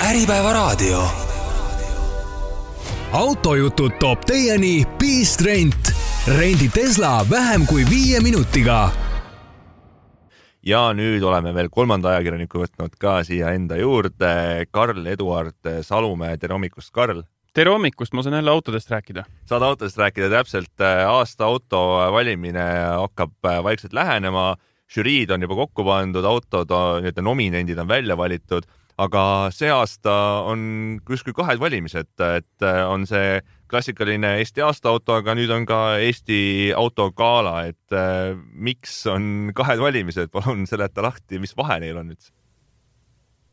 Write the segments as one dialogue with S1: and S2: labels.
S1: Äripäevaraadio. Autojutud toob teieni Beast Rent. Rendi Tesla vähem kui 5 minutiga.
S2: Ja nüüd oleme veel 3. ajakirjaniku võtnud ka siia enda juurde. Karl-Eduard Salumäe. Tere hommikust, Karl!
S3: Tere hommikust, ma saan jälle autodest rääkida.
S2: Saad autodest rääkida täpselt. Aasta auto valimine hakkab vaikselt lähenema. Žüriid on juba kokku pandud, autod, nominendid on välja valitud, aga see aasta on kuskil 2 valimised, et on see klassikaline Eesti aastaauto, aga nüüd on ka Eesti autogala, et miks on 2 valimised, palun seleta lahti, mis vahe neil on nüüd?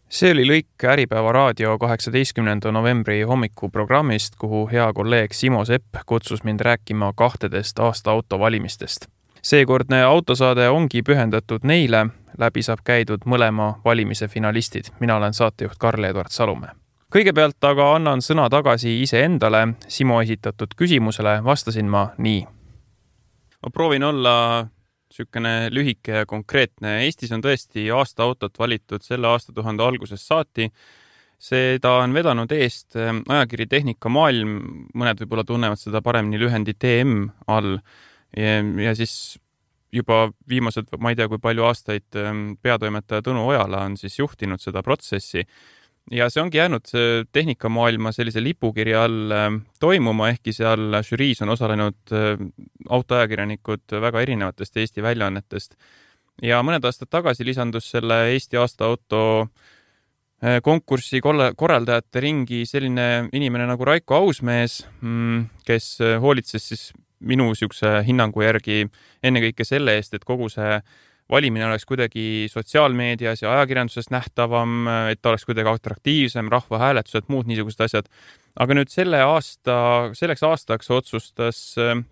S3: See oli lõik Äripäevaraadio 18. novembri hommikuprogrammist, kuhu hea kolleeg Simo Sepp kutsus mind rääkima 2 aasta auto valimistest. Seekordne autosaade ongi pühendatud neile, läbi saab käidud mõlema valimise finalistid. Mina olen saatejuht Karl-Eduard Salumäe. Kõigepealt aga annan sõna tagasi iseendale. Simo esitatud küsimusele vastasin ma nii. Ma proovin olla sükene lühike ja konkreetne. Eestis on tõesti aasta autot valitud selle aastatuhande algusest saati. Seda on vedanud eest ajakiri Tehnika Maailm. Mõned võib-olla tunnevad seda paremini lühendi TM all. Ja siis juba viimased, ma ei tea, kui palju aastaid peatoimetaja Tõnu Ojala on siis juhtinud seda protsessi. Ja see ongi jäänud Tehnikamaailma sellise lipukirja all toimuma, ehkki seal žüriis on osalenud autoajakirjanikud väga erinevatest Eesti väljaannetest. Ja mõned aastad tagasi lisandus selle Eesti aasta auto konkurssi korraldajate ringi selline inimene nagu Raiko Ausmees, kes hoolitses siis minu siukse hinnangu järgi ennekõike selle eest, et kogu see valimine oleks kuidagi sotsiaalmeedias ja ajakirjanduses nähtavam, et ta oleks kuidagi atraktiivsem, rahvahääletused, muud niisugused asjad. Aga nüüd selleks aastaks otsustas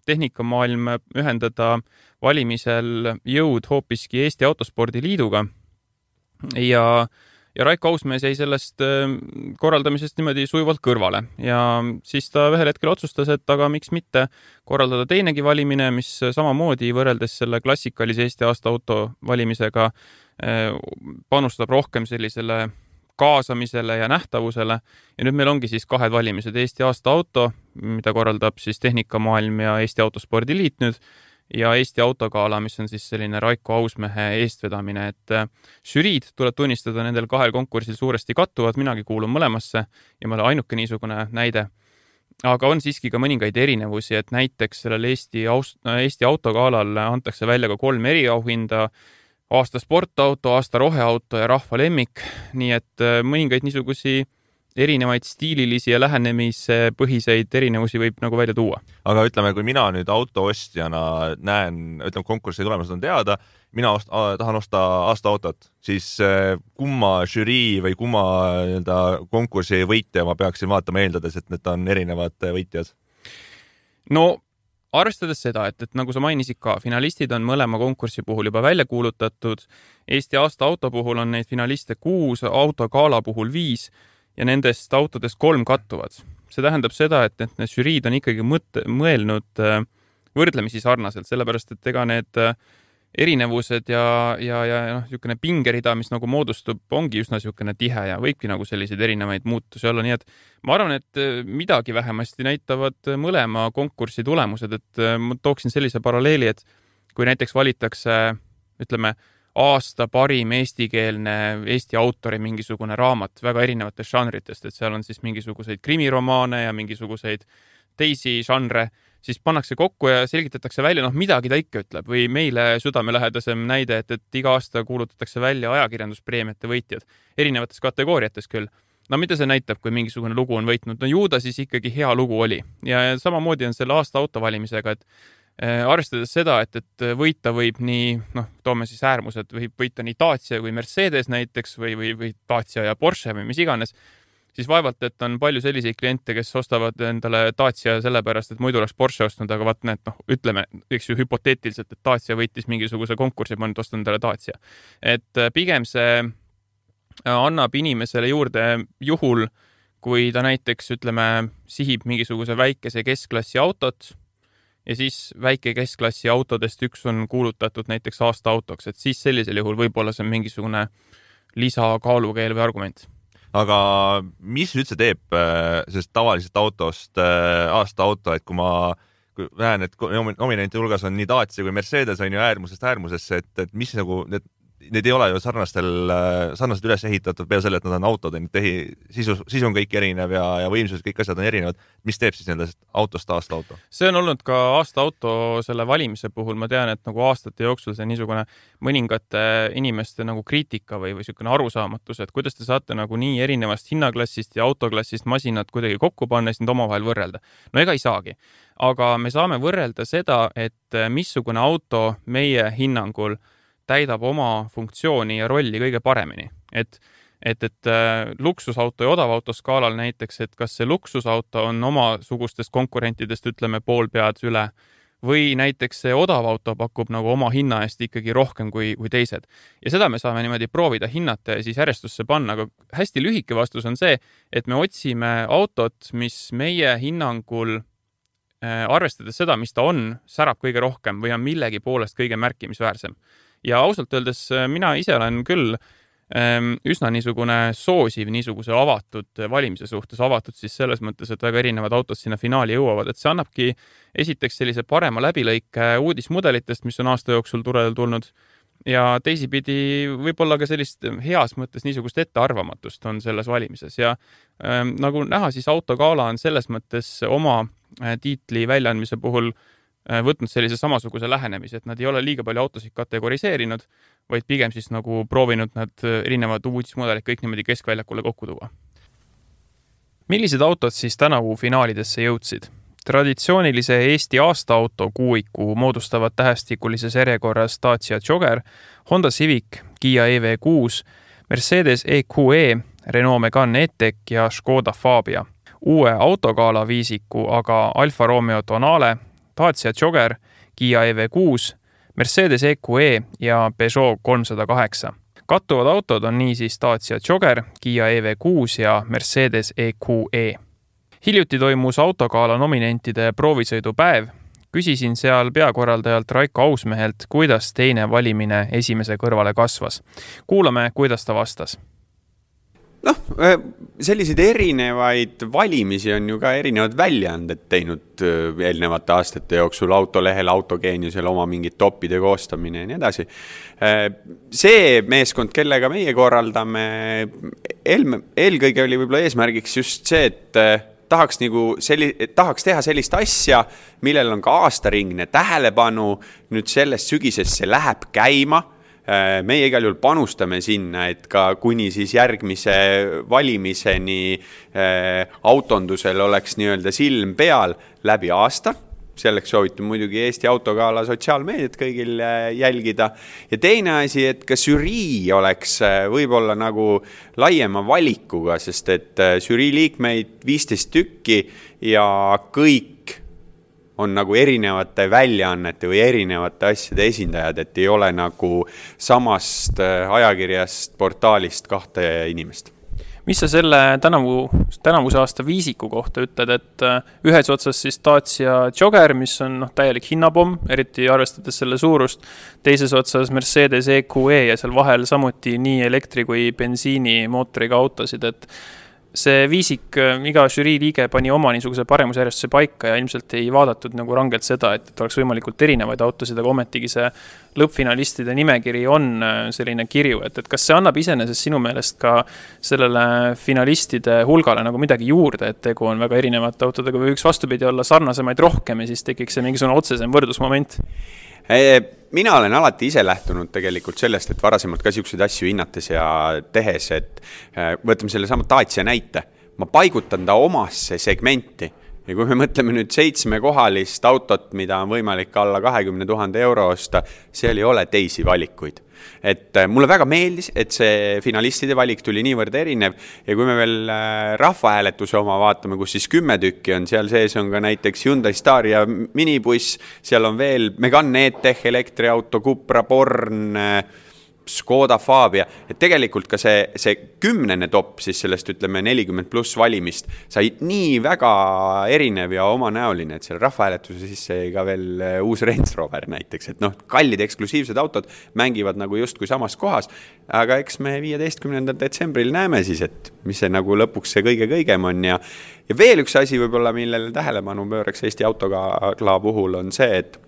S3: Tehnikamaailm ühendada valimisel jõud hoopiski Eesti Autospordi Liiduga ja Raiko Ausmees jäi sellest korraldamisest niimoodi sujuvalt kõrvale. Ja siis ta ühel hetkel otsustas, et aga miks mitte korraldada teinegi valimine, mis samamoodi võrreldes selle klassikalise Eesti aasta auto valimisega panustab rohkem sellisele kaasamisele ja nähtavusele. Ja nüüd meil ongi siis 2 valimised. Eesti aasta auto, mida korraldab siis Tehnikamaailm ja Eesti Autospordi Liit nüüd, ja Eesti autogala, mis on siis selline Raiko Ausmehe eestvedamine, et žüriid tuleb tunnistada nendel 2 konkursil suuresti kattuvad, minagi kuulun mõlemasse ja ma olen ainuke niisugune näide. Aga on siiski ka mõningaid erinevusi, et näiteks sellel Eesti autogalal antakse välja ka 3 eriauhinda, aasta sportauto, aasta roheauto ja rahva lemmik, nii et mõningaid niisugusi erinevaid stiililisi ja lähenemispõhiseid erinevusi võib nagu välja tuua.
S2: Aga ütleme, kui mina nüüd autoostjana näen, ütleme, konkursi tulemused on teada, mina tahan osta aasta autot, siis kumma žürii või kumma konkursi võitja ma peaksin vaatama eeldades, et need on erinevad võitjad?
S3: No, arvestades seda, et nagu sa mainisid ka, finalistid on mõlema konkursi puhul juba välja kuulutatud. Eesti aasta auto puhul on neid finaliste 6, autogala puhul 5 ja nendest autodest 3 kattuvad. See tähendab seda, et need žüriid on ikkagi mõelnud võrdlemisi sarnaselt, sellepärast, et ega need erinevused ja niisugune pingerida, mis nagu moodustub, ongi üsna niisugune tihe ja võibki nagu selliseid erinevaid muutusi olla. Nii et ma arvan, et midagi vähemasti näitavad mõlema konkursi tulemused, et ma tooksin sellise paralleeli, et kui näiteks valitakse, ütleme, aasta parim eestikeelne Eesti autori mingisugune raamat väga erinevatest žanritest, et seal on siis mingisuguseid krimiromaane ja mingisuguseid teisi žanre, siis pannakse kokku ja selgitatakse välja, midagi ta ikka ütleb. Või meile südamelähedasem näide, et iga aasta kuulutatakse välja ajakirjanduspreemiate võitjad erinevates kategooriates küll. No mida see näitab, kui mingisugune lugu on võitnud? No ju ta siis ikkagi hea lugu oli. Ja samamoodi on selle aasta autovalimisega, et arvestades seda, et võita võib nii, toome siis äärmused, võib võita nii Dacia kui Mercedes näiteks või Dacia ja Porsche või mis iganes, siis vaevalt, et on palju selliseid kliente, kes ostavad endale Dacia sellepärast, et muidu oleks Porsche ostnud, aga ütleme, eks ju hüpoteetiliselt, et Dacia võitis mingisuguse konkursi, ma nüüd ostan endale Dacia. Et pigem see annab inimesele juurde juhul, kui ta näiteks, ütleme, sihib mingisuguse väikese keskklassi autot, ja siis väike keskklassi autodest üks on kuulutatud näiteks aasta autoks, et siis sellisel juhul võib-olla see on mingisugune lisakaalukeel või argument.
S2: aga mis üldse teeb sellest tavalisest autost aasta auto, et kui näen, et nominenti hulgas on nii Dacia kui Mercedes on ju äärmusest äärmusesse, et mis nagu need ei ole ju sarnaselt üles ehitatud peale selle, et nad on autod, sisu on kõik erinev ja võimsus, kõik asjad on erinevad. Mis teeb siis nendest autost aasta auto?
S3: See on olnud ka aasta auto selle valimise puhul. Ma tean, et nagu aastate jooksul see niisugune mõningate inimeste nagu kriitika või niisugune arusaamatus, et kuidas te saate nagu nii erinevast hinnaklassist ja autoklassist masinad kuidagi kokku panna ja neid omavahel võrrelda. No ega ei saagi. Aga me saame võrrelda seda, et missugune auto meie hinnangul täidab oma funktsiooni ja rolli kõige paremini. Et luksusauto ja odavauto skaalal näiteks, et kas see luksusauto on omasugustest konkurentidest, ütleme, pool pead üle või näiteks see odavauto pakub nagu oma hinna eest ikkagi rohkem kui teised. Ja seda me saame niimoodi proovida hinnata ja siis järjestusse panna, aga hästi lühike vastus on see, et me otsime autot, mis meie hinnangul arvestades seda, mis ta on, särab kõige rohkem või on millegi poolest kõige märkimisväärsem. Ja ausalt öeldes mina ise olen küll üsna niisugune soosiv niisuguse avatud valimise suhtes, avatud siis selles mõttes, et väga erinevad autod sinna finaali jõuavad, et see annabki esiteks sellise parema läbilõike uudismudelitest, mis on aasta jooksul turele tulnud ja teisipidi võib-olla ka sellist heas mõttes niisugust ettearvamatust on selles valimises ja nagu näha, siis autogala on selles mõttes oma tiitli väljaandmise puhul võtnud sellise samasuguse lähenemise, et nad ei ole liiga palju autosid kategoriseerinud, vaid pigem siis nagu proovinud nad erinevad uudismudelid kõik niimoodi keskväljakule kokku tuua. Millised autod siis tänavu finaalidesse jõudsid? Traditsioonilise Eesti aastaauto kuuiku moodustavad tähestikulises järjekorras Dacia Jogger, Honda Civic, Kia EV6, Mercedes EQE, Renault Megane E-Tech ja Škoda Fabia. Uue autogala viisiku aga Alfa Romeo Tonale, Dacia Jogger, Kia EV6, Mercedes EQE ja Peugeot 308. Kattuvad autod on niisiis Dacia Jogger, Kia EV6 ja Mercedes EQE. Hiljuti toimus autogala nominentide proovisõidupäev. Küsisin seal peakorraldajalt Raiko Ausmehelt, kuidas teine valimine esimese kõrvale kasvas. Kuulame, kuidas ta vastas.
S4: Selliseid erinevaid valimisi on ju ka erinevad väljaanded teinud eelnevate aastate jooksul autolehel, autogeeniusel oma mingid topide koostamine ja nii edasi. See meeskond, kellega meie korraldame, eelkõige oli võib-olla eesmärgiks just see, et tahaks teha sellist asja, millel on ka aastaringne tähelepanu, nüüd sellest sügisest see läheb käima. Meie igal juhul panustame sinna, et ka kuni siis järgmise valimiseni autondusel oleks nii-öelda silm peal läbi aasta. Selleks soovitan muidugi Eesti autogala sotsiaalmeediat kõigil jälgida. Ja teine asi, et ka žürii oleks võib-olla nagu laiema valikuga, sest et žürii liikmeid 15 tükki ja kõik on nagu erinevate väljaannete või erinevate asjade esindajad, et ei ole nagu samast ajakirjast, portaalist kahte inimest.
S3: Mis sa selle tänavuse aasta viisiku kohta ütled, et ühes otsas siis Dacia Jogger, mis on täielik hinnapomm, eriti arvestades selle suurust, teises otsas Mercedes EQE ja seal vahel samuti nii elektri kui bensiini mootoriga autosid, et see viisik, iga žürii liige pani oma niisuguse paremusjärjestuse paika ja ilmselt ei vaadatud nagu rangelt seda, et oleks võimalikult erinevaid autosid, aga ometigi see lõppfinalistide nimekiri on selline kirju, et kas see annab iseenesest sinu meelest ka sellele finalistide hulgale nagu midagi juurde, et tegu on väga erinevate autodega või üks vastupidi olla sarnasemaid rohkem ja siis tekiks see mingisugune otsesem võrdlusmoment?
S4: Mina olen alati ise lähtunud tegelikult sellest, et varasemalt ka siukseid asju hinnates ja tehes, et võtame selle sama Dacia näite. Ma paigutan ta omasse segmenti ja kui me mõtleme nüüd 7-kohalist autot, mida on võimalik alla 20 000 euro osta, seal ei ole teisi valikuid. Et mulle väga meeldis, et see finalistide valik tuli niivõrd erinev ja kui me veel rahvahääletuse oma vaatame, kus siis 10 tükki on, seal sees on ka näiteks Hyundai Staria minibuss, seal on veel Megane E-Tech elektriauto, Cupra, Born, Škoda Fabia, et tegelikult ka see 10. top siis sellest ütleme 40+ valimist sai nii väga erinev ja omanäoline, et seal rahvahääletuse sisse jäi ka veel uus Range Rover näiteks, et kallid eksklusiivsed autod mängivad nagu justkui samas kohas, aga eks me 15. detsembril näeme siis, et mis see nagu lõpuks see kõige-kõigem on ja veel üks asi võib-olla, millele tähelepanu pööraks Eesti Autogala puhul on see, et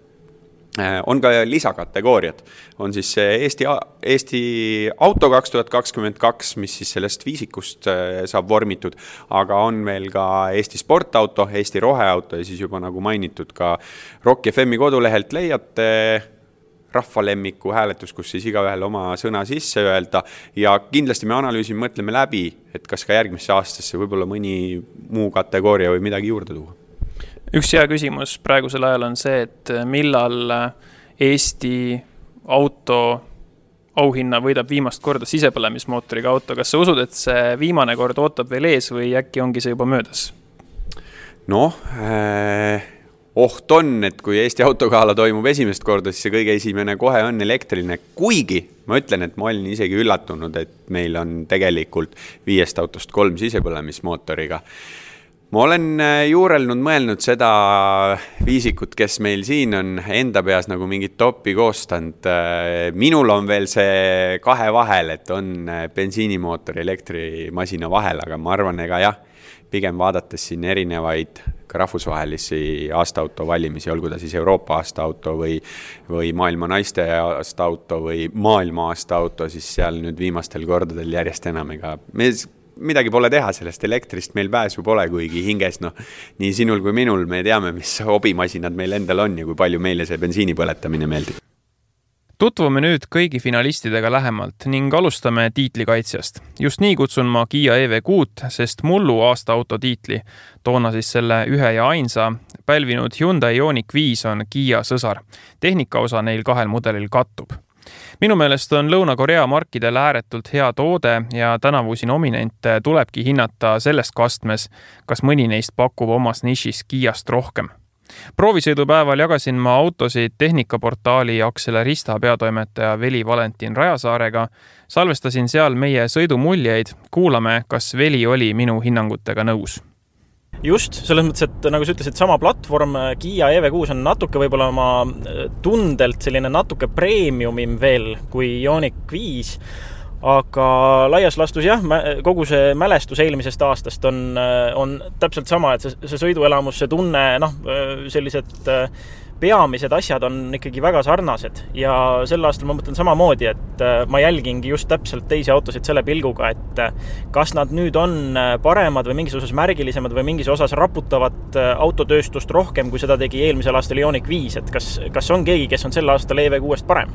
S4: on ka lisakategooriad. On siis Eesti Auto 2022, mis siis sellest viisikust saab vormitud, aga on veel ka Eesti Sportauto, Eesti Roheauto ja siis juba nagu mainitud ka Rock FM-i kodulehelt leiate rahvalemmiku hääletus, kus siis igaühel oma sõna sisse öelda ja kindlasti me analüüsime, mõtleme läbi, et kas ka järgmisse aastasse võib-olla mõni muu kategooria või midagi juurde tuua.
S5: Üks hea küsimus praegusel ajal on see, et millal Eesti auto auhinna võidab viimast korda sisepõlemismootoriga auto. Kas sa usud, et see viimane kord ootab veel ees või äkki ongi see juba möödas?
S4: Oht on, et kui Eesti Autogala toimub esimest korda, siis see kõige esimene kohe on elektriline. Kuigi ma ütlen, et ma olin isegi üllatunud, et meil on tegelikult 5 autost 3 sisepõlemismootoriga. Ma olen juurelnud mõelnud seda viisikut, kes meil siin on enda peas nagu mingit topi koostanud. Minul on veel see 2 vahel, et on bensiinimootori elektrimasina vahel, aga ma arvan, ega jah, pigem vaadates siin erinevaid ka rahvusvahelisi aastaauto valimisi, olgu ta siis Euroopa aastaauto või maailma naiste aastaauto või maailma aastaauto, siis seal nüüd viimastel kordadel järjest enam ega midagi pole teha sellest elektrist, meil pääsu pole, kuigi hinges, nii sinul kui minul me teame, mis hobimasinad meil endal on ja kui palju meile see bensiini põletamine meeldib.
S3: Tutvume nüüd kõigi finalistidega lähemalt ning alustame tiitlikaitsjast. Just nii kutsun ma Kia EV6, sest mullu aastaauto tiitli, toona siis selle ühe ja ainsa, pälvinud Hyundai Ioniq 5 on Kia sõsar. Tehnikaosa neil 2 mudelil kattub. Minu meelest on Lõuna-Korea markidel ääretult hea toode ja tänavusi nominente tulebki hinnata sellest kastmes, kas mõni neist pakub omas nišis Kiast rohkem. Proovisõidupäeval jagasin ma autosid tehnikaportaali Accelerista peatoimetaja Veli Valentin Rajasaarega, salvestasin seal meie sõidumuljeid, kuulame, kas Veli oli minu hinnangutega nõus.
S5: Just, selles mõttes, et nagu sa ütlesid, sama platvorm Kia EV6 on natuke võib-olla oma tundelt selline natuke premiumim veel kui Ioniq 5, aga laias lastus jah, kogu see mälestus eelmisest aastast on täpselt sama, et see sõiduelamus, see tunne, sellised peamised asjad on ikkagi väga sarnased ja sel aastal ma mõtlen samamoodi, et ma jälgingi just täpselt teisi autosid selle pilguga, et kas nad nüüd on paremad või mingis osas märgilisemad või mingis osas raputavad autotööstust rohkem, kui seda tegi eelmisel aastal Ioniq 5, et kas on keegi, kes on sel aastal EV6-st parem?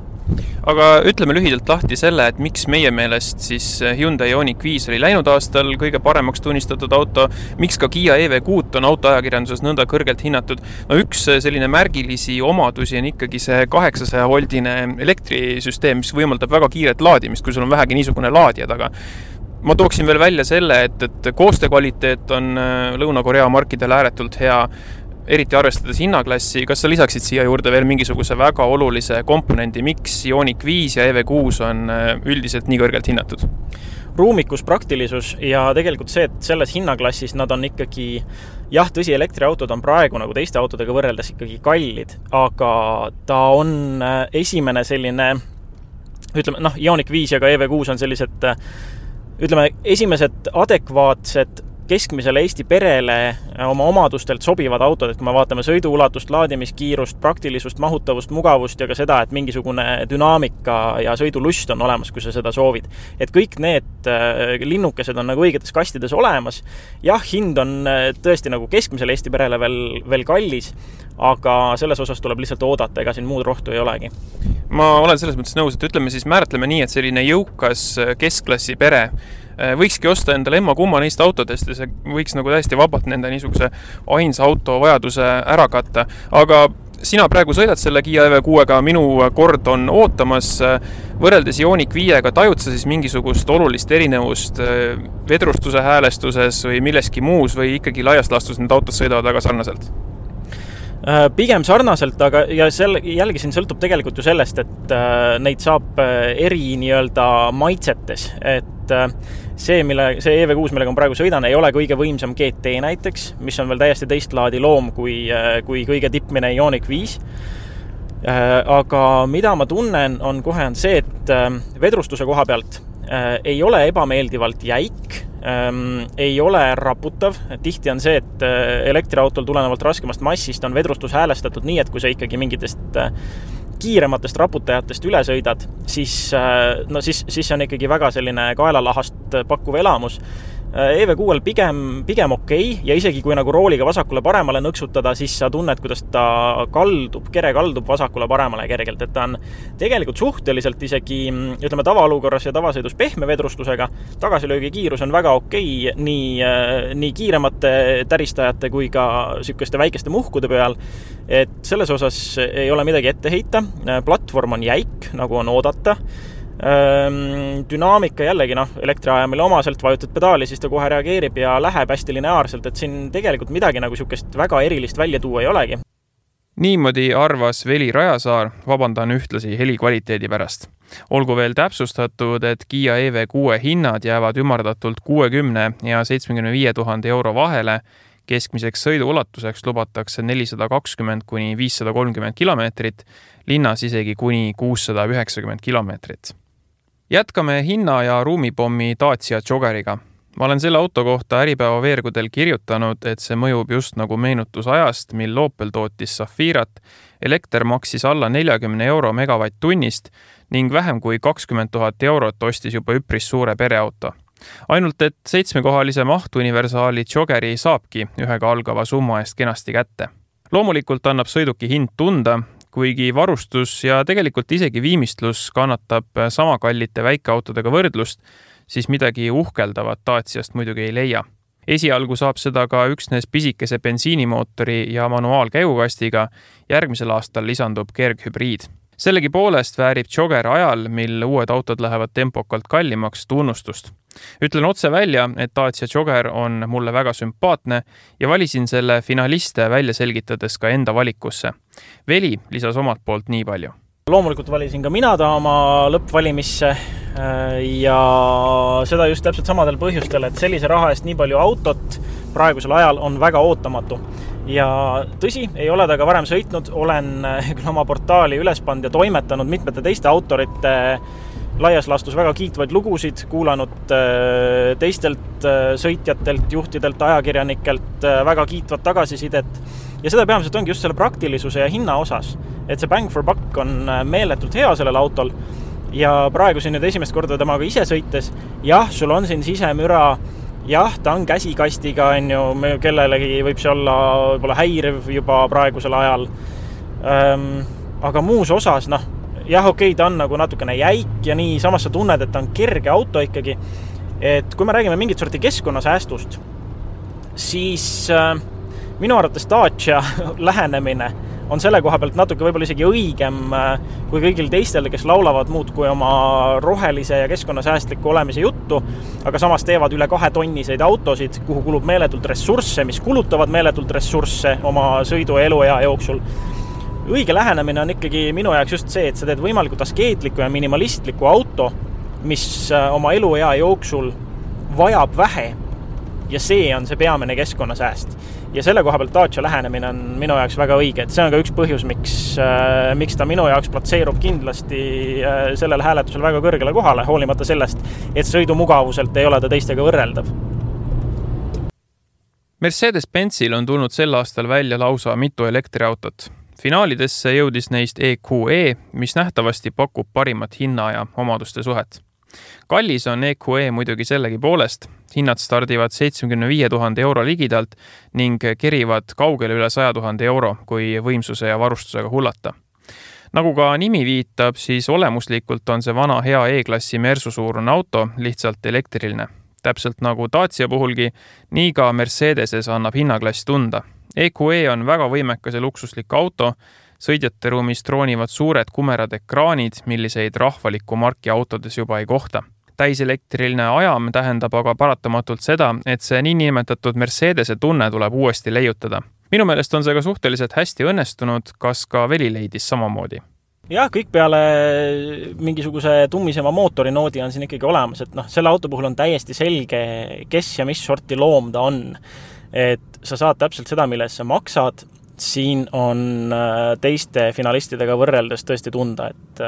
S3: Aga ütleme lühidalt lahti selle, et miks meie meelest siis Hyundai Ioniq 5 oli läinud aastal kõige paremaks tunnistatud auto, miks ka Kia EV6 on autoajakirjanduses nõnda kõrgelt hinnatud. Üks selline märgilisi omadusi on ikkagi see 800-voldine elektrisüsteem, mis võimaldab väga kiiret laadimist, kui sul on vähegi niisugune laadija taga. Ma tooksin veel välja selle, et koostöökvaliteet on Lõuna-Korea markidel ääretult hea, eriti arvestades hinnaklassi. Kas sa lisaksid siia juurde veel mingisuguse väga olulise komponendi, miks Ioniq 5 ja EV6 on üldiselt nii kõrgelt hinnatud?
S5: Ruumikus, praktilisus ja tegelikult see, et selles hinnaklassis nad on ikkagi, jah, tõsi, elektriautod on praegu nagu teiste autodega võrreldes ikkagi kallid, aga ta on esimene selline, ütleme, Ioniq 5 ja ka EV6 on sellised, ütleme, esimesed adekvaatsed keskmisele Eesti perele oma omadustelt sobivad autod, et kui me vaatame sõiduulatust, laadimiskiirust, praktilisust, mahutavust, mugavust ja ka seda, et mingisugune dünaamika ja sõidulust on olemas, kui sa seda soovid. Et kõik need linnukesed on nagu õigetes kastides olemas. Jah, hind on tõesti nagu keskmisele Eesti perele veel kallis, aga selles osas tuleb lihtsalt oodata, ega siin muud rohtu ei olegi.
S3: Ma olen selles mõttes nõus, et ütleme siis määratleme nii, et selline jõukas keskklassi pere võikski osta endale emma-kumma neist autodest ja see võiks nagu täiesti vabalt nende niisuguse ainsa auto vajaduse ära katta. Aga sina praegu sõidad selle Kia EV6-ga, minu kord on ootamas. Võrreldes Ioniq 5-ga tajud sa siis mingisugust olulist erinevust vedrustuse häälestuses või milleski muus või ikkagi laias lastus need autod sõidavad väga sarnaselt?
S5: Pigem sarnaselt, aga ja jällegi siin sõltub tegelikult ju sellest, et neid saab eri nii-öelda maitsetes, et see EV6, millega ma praegu sõidan, ei ole kõige võimsam GT näiteks, mis on veel täiesti teist laadi loom kui kõige tippmine Ioniq 5. Aga mida ma tunnen, on see, et vedrustuse koha pealt ei ole ebameeldivalt jäik, ei ole raputav. Tihti on see, et elektriautol tulenevalt raskemast massist on vedrustus häälestatud nii, et kui sa ikkagi mingitest kiirematest raputajatest üle sõidad, siis see on ikkagi väga selline kaelalahast pakkuv elamus. EV6-l pigem okei, ja isegi kui nagu rooliga vasakule paremale nõksutada, siis sa tunned, kuidas ta kere kaldub vasakule paremale kergelt, et ta on tegelikult suhteliselt isegi, ütleme, tavaolukorras ja tavasõidus pehme vedrustusega, tagasilöögi kiirus on väga okei nii kiiremate täristajate kui ka sükeste väikeste muhkude peal, et selles osas ei ole midagi ette heita, platvorm on jäik, nagu on oodata. Dünaamika jällegi, elektriajamile omaselt vajutad pedaali, siis ta kohe reageerib ja läheb hästi lineaarselt, et siin tegelikult midagi nagu sükest väga erilist välja tuua ei olegi.
S3: Niimoodi arvas Veli Rajasaar, vabandan ühtlasi heli kvaliteedi pärast. Olgu veel täpsustatud, et Kia EV6 hinnad jäävad ümardatult 60 ja 75 000 euro vahele, keskmiseks sõidu ulatuseks lubatakse 420 kuni 530 kilomeetrit, linnas isegi kuni 690 kilomeetrit. Jätkame hinna- ja ruumipommi Dacia Joggeriga. Ma olen selle auto kohta Äripäeva veergudel kirjutanud, et see mõjub just nagu meenutus ajast, mil Opel tootis Zafirat, elekter maksis alla 40 euro megavatt-tunnist ning vähem kui 20 000 eurot ostis juba üpris suure pereauto. Ainult, et 7-kohalise mahtuniversaali Joggeri saabki ühega algava summa eest kenasti kätte. Loomulikult annab sõiduki hind tunda, kuigi varustus ja tegelikult isegi viimistlus kannatab sama kallite väikeautodega võrdlust, siis midagi uhkeldavat Daciast muidugi ei leia. Esialgu saab seda ka üksnes pisikese bensiinimootori ja manuaalkäigukastiga, järgmisel aastal lisandub kerghübriid. Sellegi poolest väärib Jogger ajal, mil uued autod lähevad tempokalt kallimaks, tunnustust. Ütlen otse välja, et Dacia Jogger on mulle väga sümpaatne ja valisin selle finaliste välja selgitades ka enda valikusse. Veli lisas omalt poolt nii palju.
S5: Loomulikult valisin ka mina ta oma lõppvalimisse ja seda just täpselt samadel põhjustel, et sellise raha eest nii palju autot praegusel ajal on väga ootamatu. Ja tõsi, ei ole ta ka varem sõitnud, olen oma portaali üles pannud ja toimetanud mitmete teiste autorite laias laastus väga kiitvaid lugusid, kuulanud teistelt sõitjatelt, juhtidelt, ajakirjanikelt väga kiitvat tagasisidet. Ja seda peamiselt ongi just selle praktilisuse ja hinna osas, et see bang for buck on meeletult hea sellel autol ja praegu siin nüüd esimest korda temaga ise sõites, jah, sul on siin sisemüra, jah, ta on käsikastiga, kellelegi võib see olla võib-olla häiriv juba praegusel ajal, aga muus osas, jah, okei, ta on nagu natukene jäik ja nii, samas sa tunned, et ta on kerge auto ikkagi, et kui me räägime mingit sorti keskkonnasäästust, siis minu arvates Dacia lähenemine on selle koha pealt natuke võib-olla isegi õigem kui kõigil teistel, kes laulavad muud kui oma rohelise ja keskkonnasäästliku olemise juttu, aga samas teevad üle 2 tonniseid autosid, kuhu kulub meeletult ressursse, mis kulutavad meeletult ressursse oma sõidu ja eluea jooksul. Õige lähenemine on ikkagi minu jaoks just see, et sa teed võimalikult askeetliku ja minimalistliku auto, mis oma eluea jooksul vajab vähe ja see on see peamine keskkonnasääst. Ja selle koha pealt Dacia lähenemine on minu jaoks väga õige, et see on ka üks põhjus, miks ta minu jaoks platseerub kindlasti sellel hääletusel väga kõrgele kohale, hoolimata sellest, et sõidumugavuselt ei ole ta teistega võrreldav.
S3: Mercedes-Benzil on tulnud sel aastal välja lausa mitu elektriautot. Finaalidesse jõudis neist EQE, mis nähtavasti pakub parimat hinna ja omaduste suhet. Kallis on EQE muidugi sellegi poolest, hinnad stardivad 75 000 euro ligidalt ning kerivad kaugele üle 100 000 euro, kui võimsuse ja varustusega hullata. Nagu ka nimi viitab, siis olemuslikult on see vana hea E-klassi Mersu-suurune auto lihtsalt elektriline. Täpselt nagu Dacia puhulgi, nii ka Mercedeses annab hinnaklass tunda. EQE on väga võimekas ja luksuslik auto, sõidjate ruumis troonivad suured kumerad ekraanid, milliseid rahvaliku marki autodes juba ei kohta. Täiselektriline ajam tähendab aga paratamatult seda, et see niinimetatud Mercedese tunne tuleb uuesti leiutada. minu meelest on see ka suhteliselt hästi õnnestunud, kas ka Veli leidis samamoodi?
S5: Jah, kõik peale mingisuguse tummisema mootorinoodi on siin ikkagi olemas, et selle auto puhul on täiesti selge, kes ja mis sorti loom ta on. Et sa saad täpselt seda, milles sa maksad, siin on teiste finalistidega võrreldes tõesti tunda, et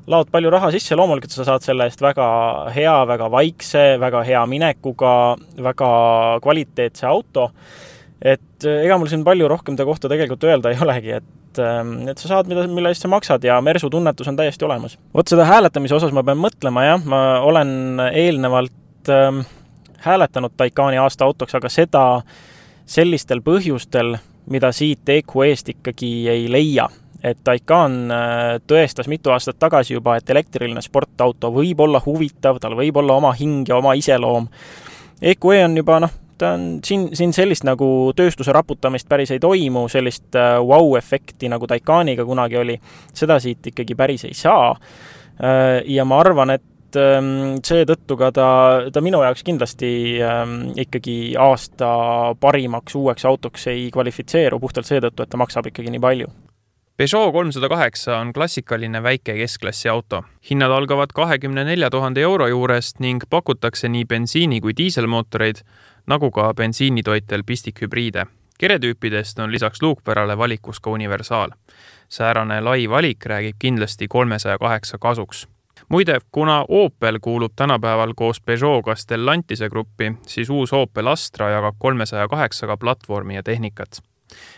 S5: laod palju raha sisse, loomulikult sa saad selle eest väga hea, väga vaikse, väga hea minekuga, väga kvaliteetse auto, et ega mul siin palju rohkem ta kohta tegelikult öelda ei olegi, et sa saad, mille eest sa maksad ja Mersu tunnetus on täiesti olemas. Vot seda hääletamise osas ma pean mõtlema, jah, ma olen eelnevalt hääletanud Taycani aasta autoks, aga seda sellistel põhjustel, mida siit EQE-st ikkagi ei leia. Et Taycan tõestas mitu aastat tagasi juba, et elektriline sportauto võib olla huvitav, tal võib olla oma hing ja oma iseloom. EQE on juba, ta on siin sellist nagu tööstuse raputamist päris ei toimu, sellist wow-efekti nagu Taycaniga kunagi oli, seda siit ikkagi päris ei saa. Ja ma arvan, et seetõttu ka ta minu jaoks kindlasti ikkagi aasta parimaks uueks autoks ei kvalifitseeru puhtalt seetõttu, et ta maksab ikkagi nii palju.
S3: Peugeot 308 on klassikaline väike keskklassi auto. Hinnad algavad 24 000 euro juurest ning pakutakse nii bensiini kui diiselmootoreid, nagu ka bensiinitoitel pistikhübriide. Keretüüpidest on lisaks luukpärale valikus ka universaal. Säärane lai valik räägib kindlasti 308 kasuks. Muide, kuna Opel kuulub tänapäeval koos Peugeot'ga Stellantise gruppi, siis uus Opel Astra jagab 308 platvormi ja tehnikat.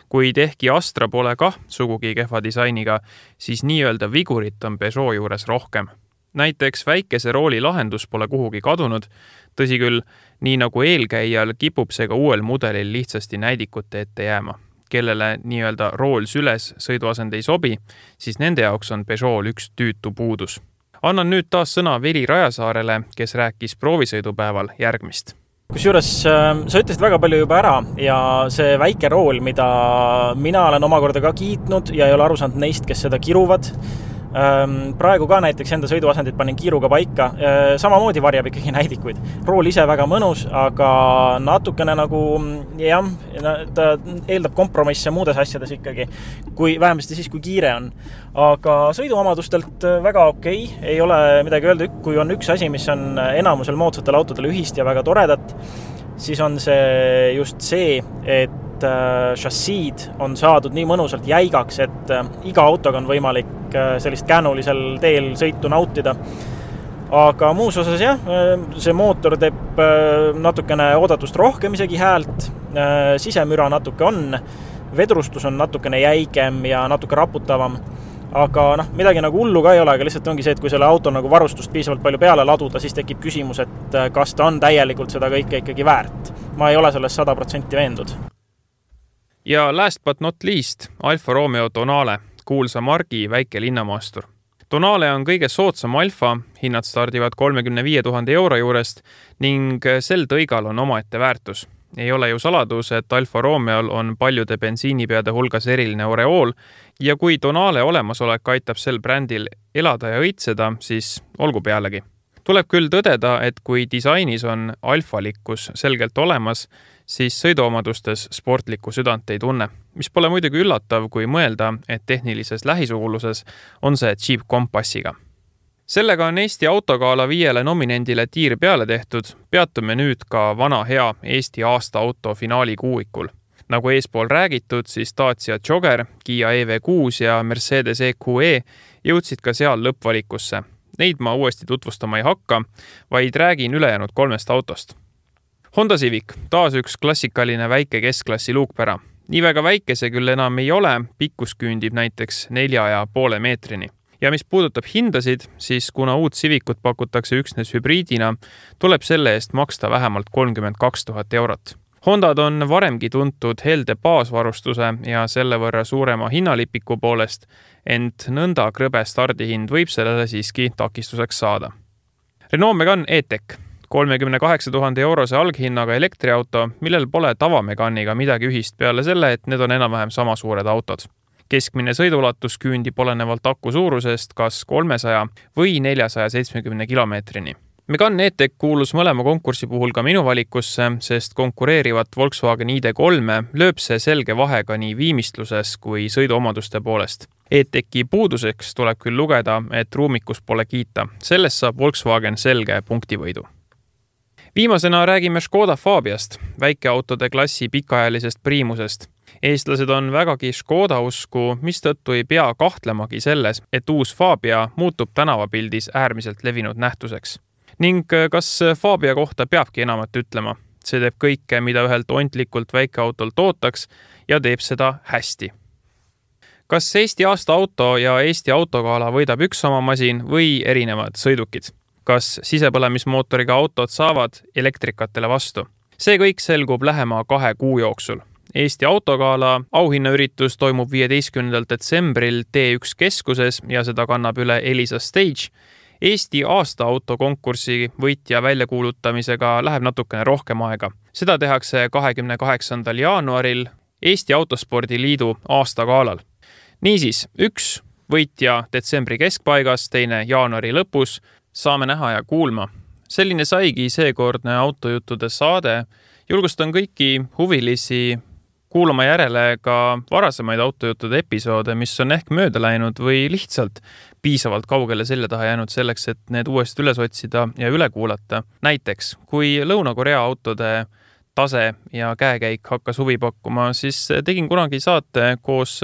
S3: Kuid ehkki Astra pole kah sugugi kehva disainiga, siis nii-öelda vigurit on Peugeot juures rohkem. Näiteks väikese rooli lahendus pole kuhugi kadunud, tõsi küll, nii nagu eelkäijal kipub see ka uuel mudelil lihtsasti näidikute ette jääma. Kellele nii-öelda rool süles sõiduasend ei sobi, siis nende jaoks on Peugeot üks tüütu puudus. Annan nüüd taas sõna Veli Rajasaarele, kes rääkis proovisõidupäeval järgmist.
S5: Kusjuures sa ütlesid väga palju juba ära ja see väike rool, mida mina olen omakorda ka kiitnud ja ei ole aru saanud neist, kes seda kiruvad. Praegu ka näiteks enda sõiduasendit panin kiiruga paika, samamoodi varjab ikkagi näidikuid. Rool ise väga mõnus, aga natukene nagu, jah, ta eeldab kompromisse muudes asjades ikkagi, vähemasti siis, kui kiire on. Aga sõiduomadustelt väga okei, ei ole midagi öelda, kui on üks asi, mis on enamusel moodsatel autodel ühist ja väga toredat, siis on see just see, et šassiid on saadud nii mõnusalt jäigaks, et iga autoga on võimalik sellist käänulisel teel sõitu nautida. Aga muus osas jah, see mootor teeb natukene oodatust rohkem isegi häält, sisemüra natuke on, vedrustus on natukene jäigem ja natuke raputavam. Aga midagi nagu hullu ka ei ole, aga lihtsalt ongi see, et kui selle auto nagu varustust piisavalt palju peale laduda, siis tekib küsimus, et kas ta on täielikult seda kõike ikkagi väärt. Ma ei ole sellest 100% veendud.
S3: Ja last but not least, Alfa Romeo Tonale, kuulsa margi väike linnamaastur. Tonale on kõige soodsam Alfa, hinnad stardivad 35 000 euro juurest ning sel tõigal on omaette väärtus. Ei ole ju saladus, et Alfa Romeol on paljude bensiinipeade hulgas eriline oreool ja kui Tonale olemasolek aitab sel brändil elada ja õitseda, siis olgu pealegi. Tuleb küll tõdeda, et kui disainis on alfalikkus selgelt olemas, siis sõiduomadustes sportlikku südant ei tunne, mis pole muidugi üllatav, kui mõelda, et tehnilises lähisuguluses on see Jeep Compassiga. Sellega on Eesti autogaala 5 nominendile tiir peale tehtud, peatume nüüd ka vana hea Eesti aasta auto finaali kuuikul. Nagu eespool räägitud, siis Dacia Jogger, Kia EV6 ja Mercedes EQE jõudsid ka seal lõppvalikusse. Neid ma uuesti tutvustama ei hakka, vaid räägin ülejäänud 3 autost. Honda Civic, taas üks klassikaline väike keskklassi luukpära. Nii väga väike see küll enam ei ole, pikkus küündib näiteks 4,5 meetrini. Ja mis puudutab hindasid, siis kuna uut Civicut pakutakse üksnes hübriidina, tuleb selle eest maksta vähemalt 32 000 eurot. Hondad on varemgi tuntud helde baasvarustuse ja selle võrra suurema hinnalipiku poolest, ent nõnda krõbe stardihind võib sellele siiski takistuseks saada. Renault Megane E-Tech, 38 000 eurose alghinnaga elektriauto, millel pole tavameganiga midagi ühist peale selle, et need on enam-vähem sama suured autod. Keskmine sõidulatus küündib olenevalt aku suurusest kas 300 või 470 kilomeetrini. Megane E-Tech kuulus mõlema konkursi puhul ka minu valikusse, sest konkureerivat Volkswagen ID3 lööb see selge vahega nii viimistluses kui sõiduomaduste poolest. E-Techi puuduseks tuleb küll lugeda, et ruumikus pole kiita. Sellest saab Volkswagen selge punktivõidu. Viimasena räägime Škoda Fabiast, väikeautode klassi pikaajalisest priimusest. Eestlased on vägagi Škoda usku, mistõttu ei pea kahtlemagi selles, et uus Fabia muutub tänavapildis äärmiselt levinud nähtuseks. Ning kas Fabia kohta peabki enamat ütlema? See teeb kõike, mida ühelt ontlikult väikeautolt ootaks ja teeb seda hästi. Kas Eesti aasta auto ja Eesti autogala võidab üks sama masin või erinevad sõidukid? Kas sisepõlemismootoriga autod saavad elektrikatele vastu? See kõik selgub lähema 2 kuu jooksul. Eesti autogala auhinnaüritus toimub 15. detsembril T1 keskuses ja seda kannab üle Elisa Stage. Eesti aasta autokonkursi võitja väljakuulutamisega läheb natukene rohkem aega. Seda tehakse 28. jaanuaril Eesti Autospordi Liidu aastagalal. Niisiis, 1 võitja detsembri keskpaigas, 2 jaanuari lõpus. Saame näha ja kuulma. Selline saigi seekordne autojuttude saade. Julgustan kõiki huvilisi kuulama järele ka varasemaid autojuttude episoode, mis on ehk mööda läinud või lihtsalt piisavalt kaugele selja taha jäänud selleks, et need uuesti üles otsida ja üle kuulata. Näiteks, kui Lõuna-Korea autode tase ja käekäik hakkas huvi pakkuma, siis tegin kunagi saate koos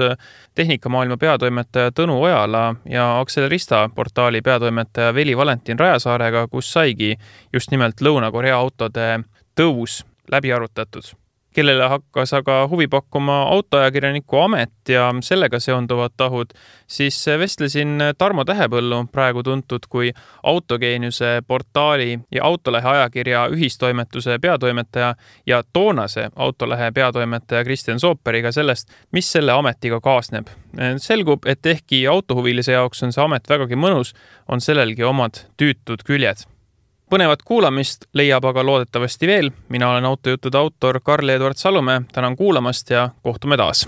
S3: Tehnikamaailma peatoimetaja Tõnu Ojala ja Accelerista portaali peatoimetaja Veli Valentin Rajasaarega, kus saigi just nimelt Lõuna-Korea autode tõus läbi arutatud. Kellele hakkas aga huvi pakkuma autoajakirjaniku amet ja sellega seonduvad tahud, siis vestlesin Tarmo Tähepõllu, praegu tuntud kui Autogeeniuse portaali ja Autolehe ajakirja ühistoimetuse peatoimetaja ja toonase Autolehe peatoimetaja Kristjan Sooperiga sellest, mis selle ametiga kaasneb. Selgub, et ehkki autohuvilise jaoks on see amet vägagi mõnus, on sellelgi omad tüütud küljed. Põnevat kuulamist leiab aga loodetavasti veel. Mina olen autojuttude autor Karl-Edward Salumäe. Tänan kuulamast ja kohtume taas.